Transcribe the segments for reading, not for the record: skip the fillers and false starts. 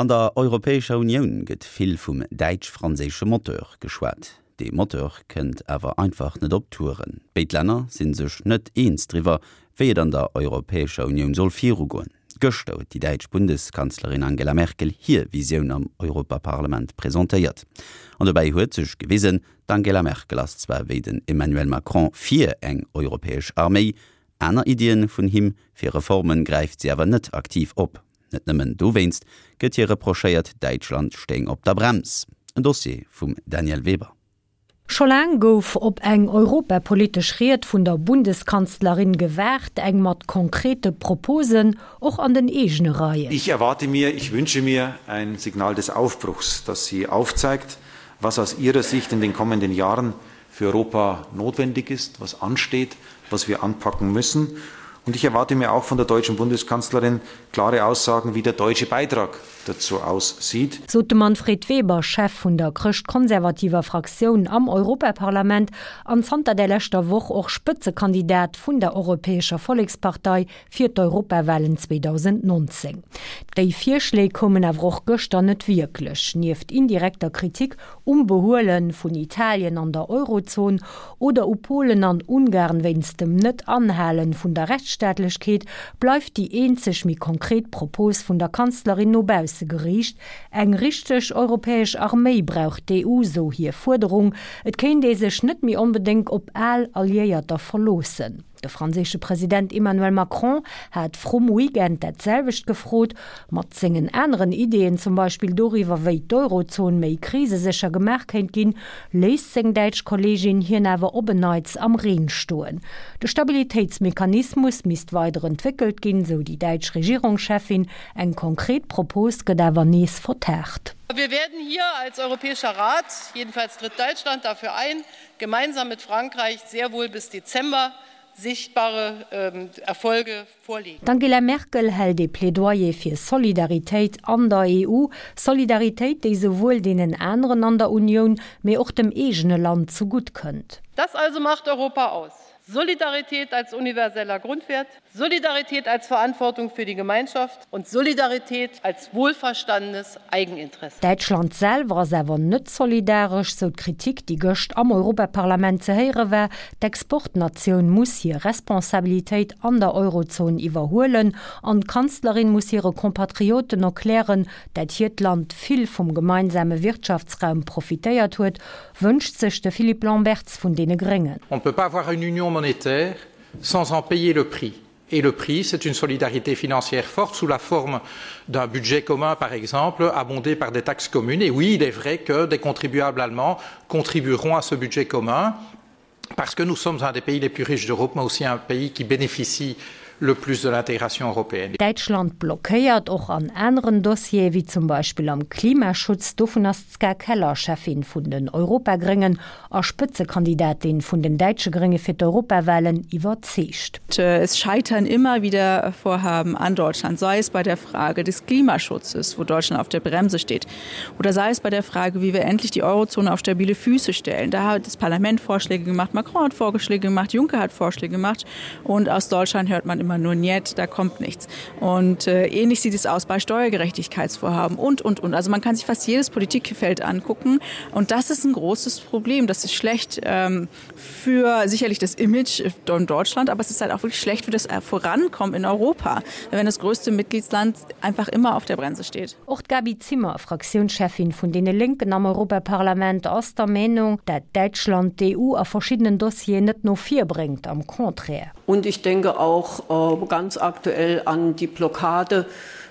An der Europäescher Unioun gëtt vill vum däitsch-franséische Moteur geschwat. Dee Moteur kënnt awer einfach net op Touren. Béid Länner si sech net eens driwwer, wéi et an der Europäescher Unioun soll virugoen. Gëschter huet déi däitsch Bundeskanzlerin Angela Merkel hir Visioun am Europaparlament presentéiert. An dobäi huet sech gewisen, d'Angela Merkel ass zwar wéi den Emmanuel Macron fir eng europäesch Arméi, aner Iddien vun him fir Reformen gräift si awer net aktiv op. Net nëmmen dowéinst gëtt hir reprochéiert, Däitschland stéing op der Brems. En Dossier vum Danièle Weber. Scho laang gouf op eng europapolitesch Ried vun der Bundeskanzlerin gewaart, eng mat konkrete Proposen, och an den eegene Reien. Ich erwarte mir, ich wünsche mir ein Signal des Aufbruchs, das sie aufzeigt, was aus ihrer Sicht in den kommenden Jahren für Europa notwendig ist, was ansteht, was wir anpacken müssen. Und ich erwarte mir auch von der deutschen Bundeskanzlerin klare Aussagen, wie der deutsche Beitrag dazu aussieht. Sot de Manfred Weber, Chef vun der chrëschtkonservativer Fraktioun am Europaparlament an zanter der leschter Woch och Spëtzekandidat vun der Europäescher Vollekspartei fir d'Europawahlen 2019. Déi Virschléi koumen awer och gëschter net wierklech. Nieft indirekter Kritik um Behuele vun Italien an der Eurozon oder u Polen an Ungarn wéinst dem Net-Anhale vun der Rechtsstaatlechkeet, bleift déi eenzeg méi konkret Propos vun der Kanzlerin no bausse geriicht, Eng richteg europäesch Arméi brauch d'EU, sou hir Fuerderung. Et kéint ee sech net méi onbedéngt op al Alliéierter verloossen. De franséische President Emmanuel Macron hat vrum Weekend dat selwecht gefrot. Mat sengen aneren Ideeën, zum Beispill doriwwer, wéi d'Eurozon méi krisesécher gemaach kéint ginn, léisst seng däitsch Kolleegin hien awer op en Neits am Reen stoen. De Stabilitéitsmechanismus misst weider entwéckelt ginn, sou déi däitsch Regierungscheffin. Eng konkret Propos gëtt awer nees vertaagt. Wir werden hier als Europäischer Rat, jedenfalls tritt Deutschland dafür ein, gemeinsam mit Frankreich sehr wohl bis Dezember sichtbare ähm, Erfolge vorlegen. D'Angela Merkel hält ee Plädoyer fir Solidaritéit an der EU, Solidaritéit, déi souwuel deenen aneren an der Unioun, mee och dem eegene Land zegutt kënnt. Das also macht Europa aus. Solidarität als universeller Grundwert, Solidarität als Verantwortung für die Gemeinschaft und Solidarität als wohlverstandenes Eigeninteresse. Däitschland selwer ass awer net solidaresch, sou d'Kritik, déi gëscht am Europaparlament ze héiere war. D'Exportnatioun muss hir Responsabilitéit an der Eurozon iwwerhuelen an d'Kanzlerin muss hire Compatrioten erklären, dat hiert Land vill vum gemeinsame Wirtschaftsraum profitéiert huet, wënscht sech de Philippe Lamberts vun deene Gréngen. On ne peut pas avoir une union monétaire sans en payer le prix. Et le prix, c'est une solidarité financière forte sous la forme d'un budget commun, par exemple, abondé par des taxes communes. Et oui, il est vrai que des contribuables allemands contribueront à ce budget commun, parce que nous sommes un des pays les plus riches d'Europe, mais aussi un pays qui bénéficie le plus de l'intégration européenne. Däitschland blockéiert och an aneren Dossiere wéi zum Beispill am Klimaschutz. Dovun ass d'Ska Keller, Cheffin vun den Europagréngen a Spëtzekandidatin vun den däitsche Grénge fir d'Europawahlen, iwwerzeegt. Es scheitern immer wieder Vorhaben an Deutschland, sei es bei der Frage des Klimaschutzes, wo Deutschland auf der Bremse steht, oder sei es bei der Frage, wie wir endlich die Eurozone auf stabile Füße stellen. Da hat das Parlament Vorschläge gemacht, Macron hat Vorschläge gemacht, Juncker hat Vorschläge gemacht und aus Deutschland hört man immer nur Niet, da kommt nichts. Und äh, ähnlich sieht es aus bei Steuergerechtigkeitsvorhaben und und und. Also man kann sich fast jedes Politikfeld angucken und das ist ein großes Problem. Das ist schlecht ähm, für sicherlich das Image in Deutschland, aber es ist halt auch wirklich schlecht für das äh, Vorankommen in Europa, wenn das größte Mitgliedsland einfach immer auf der Bremse steht. Och d'Gaby Zimmer, Fraktiounscheffin vun deene Lénken am Europaparlament, ass der Meenung, dat Däitschland d'EU a verschiddenen Dossieren net no vir bréngt, am Contraire. Und ich denke auch äh, ganz aktuell an die Blockade,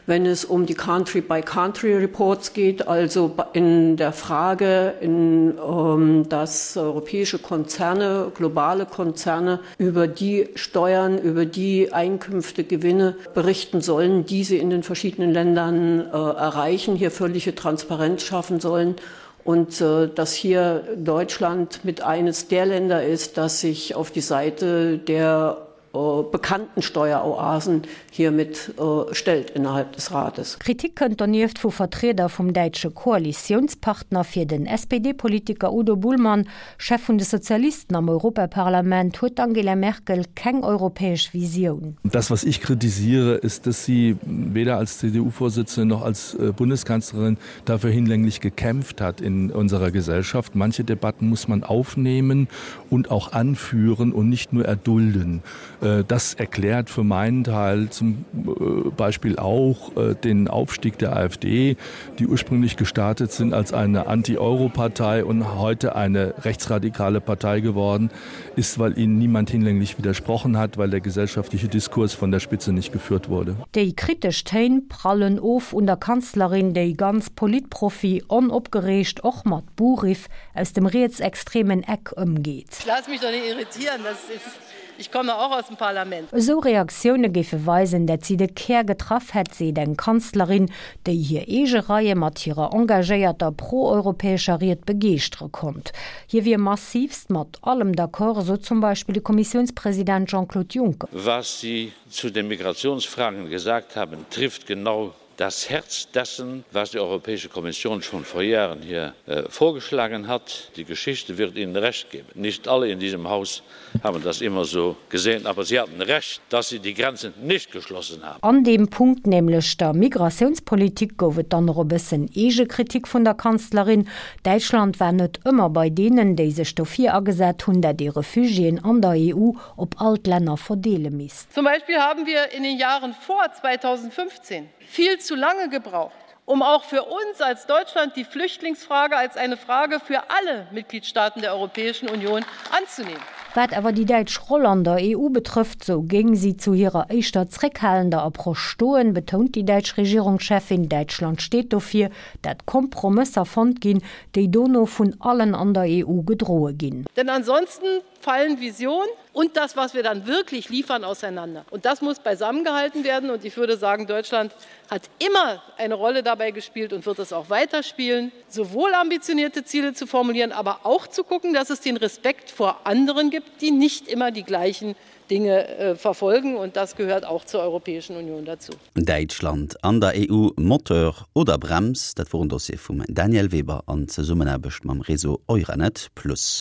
wenn es um die Country-by-Country-Reports geht, also in der Frage, in, ähm, dass europäische Konzerne, globale Konzerne über die Steuern, über die Einkünfte, Gewinne berichten sollen, die sie in den verschiedenen Ländern äh, erreichen, hier völlige Transparenz schaffen sollen und äh, dass hier Deutschland mit eines der Länder ist, das sich auf die Seite der. äh, bekannten Steueroasen hiermit äh, stellt innerhalb des Rates. Kritik kënnt donieft vu Vertrieder vum däitsche Koalitiounspartner. Fir den SPD-Politiker Udo Bullmann, Chef vun de Sozialisten am Europaparlament, huet d'Angela Merkel keng europäesch Visioun. Das, was ich kritisiere, ist, dass sie weder als CDU-Vorsitzende noch als äh, Bundeskanzlerin dafür hinlänglich gekämpft hat in unserer Gesellschaft. Manche Debatten muss man aufnehmen und auch anführen und nicht nur erdulden. Äh, das erklärt für meinen Teil zum äh, Beispiel auch äh, den Aufstieg der AfD, die ursprünglich gestartet sind als eine Anti-Euro-Partei und heute eine rechtsradikale Partei geworden ist, weil ihnen niemand hinlänglich widersprochen hat, weil der gesellschaftliche Diskurs von der Spitze nicht geführt wurde. Déi kritesch Téin prallen of un der Kanzlerin, déi ganz Politprofi onopgereegt och mat Buhriff aus dem rietsextremen Eck ëmgeet. Ich lasse mich doch nicht irritieren, das ist, ich komme auch aus dem Parlament. Esou Reaktioune géife weisen, dat si de Kär getraff hätt, seet eng Kanzlerin, déi hir eege Reie mat hirer engagéierter pro-europäescher Ried begeeschtere konnt. Hie wier massiivst mat allem d'accord, sot zum Beispill de Kommissiounspresident Jean-Claude Juncker. Was Sie zu den Migrationsfragen gesagt haben, trifft genau das Herz dessen, was die Europäische Kommission schon vor Jahren hier äh, vorgeschlagen hat. Die Geschichte wird Ihnen recht geben. Nicht alle in diesem Haus haben das immer so gesehen, aber sie hatten recht, dass sie die Grenzen nicht geschlossen haben. An deem Punkt, nämlech der Migratiounspolitik, gouf et dann och e bëssen Eegekritik vun der Kanzlerin. Däitschland war net ëmmer bei deenen, déi sech dofir agesat hunn, dat ee Refugiéen an der EU op all d'Länner verdeele misst. Zum Beispiel haben wir in den Jahren vor 2015 viel zu lange gebraucht, um auch für uns als Deutschland die Flüchtlingsfrage als eine Frage für alle Mitgliedstaaten der Europäischen Union anzunehmen. Wat awer déi däitsch Roll an der EU betrëfft, sou géing si zu hirer éischter zréckhalender Approche stoen, betount déi däitsch Regierungscheffin. Däitschland steet dofir, dat Kompromësser fonnt ginn, déi dono vun allen an der EU gedroe ginn. Denn ansonsten fallen Vision und das, was wir dann wirklich liefern, auseinander. Und das muss beisammengehalten werden. Und ich würde sagen, Deutschland hat immer eine Rolle dabei gespielt und wird es auch weiterspielen, sowohl ambitionierte Ziele zu formulieren, aber auch zu gucken, dass es den Respekt vor anderen gibt, die nicht immer die gleichen Dinge äh, verfolgen. Und das gehört auch zur Europäischen Union dazu. Däitschland an der EU, Moteur oder Brems? Dat wor en Dossier vum Danièle Weber an Zesummenaarbecht mam Réseau Euranet Plus.